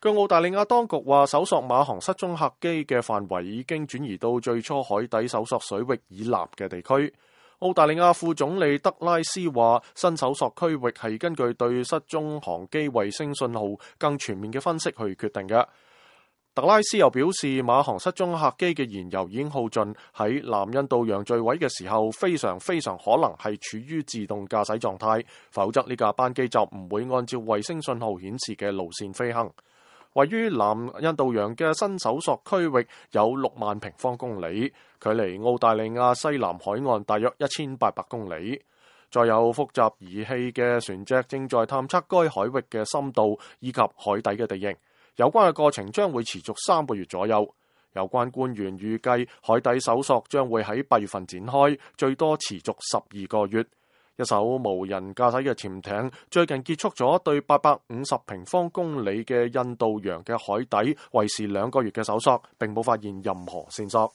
據澳大利亞當局話，搜索馬航失蹤客機嘅範圍已經轉移到最初海底搜索水域以南嘅地區。澳大利亞副總理德拉斯話，新搜索區域係根據對失蹤航機衛星信號更全面嘅分析去決定嘅。特拉斯又表示，馬航失蹤客機嘅燃油已經耗盡，喺南印度洋墜毀嘅時候，非常可能係處於自動駕駛狀態，否則呢架班機就唔會按照衛星信號顯示嘅路線飛行。位於南印度洋嘅新搜索區域有6萬平方公里，距離澳大利亞西南海岸大約1800公里。載有複雜儀器嘅船隻正在探測該海域嘅深度以及海底嘅地形。有關嘅過程將會持續3個月左右。有關官員預計海底搜索將會喺8月份展開，最多持續12個月。一艘無人駕駛嘅潛艇最近結束咗對850平方公里嘅印度洋嘅海底維持2個月嘅搜索，並冇發現任何線索。